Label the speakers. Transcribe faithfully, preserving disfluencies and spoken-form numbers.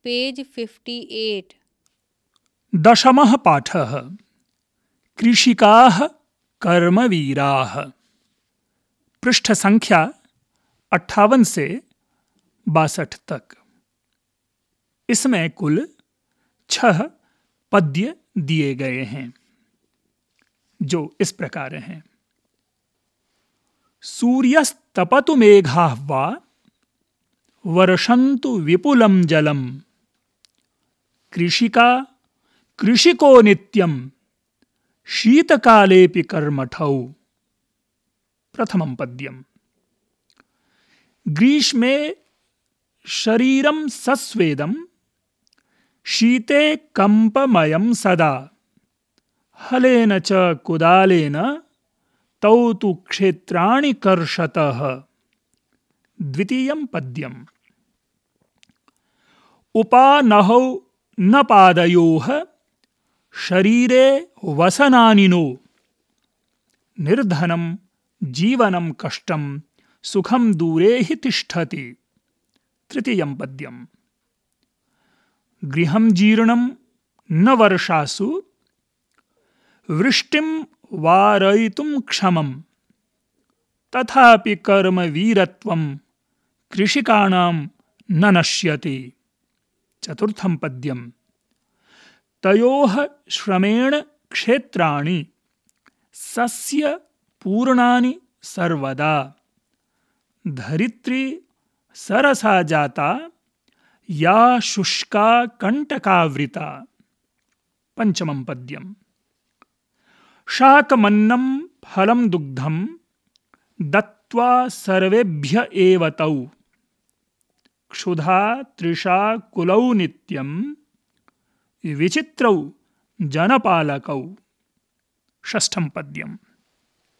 Speaker 1: Page fifty at.
Speaker 2: दशमः पाठः कृषिकाः कर्मवीराः। पृष्ठ संख्या अट्ठावन से बासठ तक। इसमें कुल छह पद्य दिए गए हैं जो इस प्रकार हैं। सूर्यस्तपतु मेघाः वा वर्षन्तु विपुलं जलम्, कृषिका कृषिको नित्यं शीतकालेऽपि कर्मठौ। प्रथमं पद्यम्। ग्रीष्मे शरीरं सस्वेदं, शीते कम्पमयं सदा, हलेन च कुदालेन तौ तु क्षेत्राणि कर्षतः। द्वितीयं पद्यम्। उपानहौ न पादयोः, शरीरे वसनानि नो, निर्धनं जीवनं कष्टं सुखं दूरे हि तिष्ठति। तृतीयं पद्यम्। गृहं जीर्णं न वर्षासु, वृष्टिं वारयितुं क्षमं, तथापि कर्मवीरत्वं कृषिकाणां न नश्यति। चतुर्थं पद्यम्। तयोः श्रमेण क्षेत्राणि सस्य पूर्णानि सर्वदा, धरित्री सरसा जाता या शुष्का कंटकावृता। पंचमं पद्यम्। शाकमन्नं फलं दुग्धं दत्त्वा सर्वेभ्य एव तौ, क्षुधा तृषा कुलौ नित्यं विचित्रौ जनपालकौ। षष्ठं पद्यम्।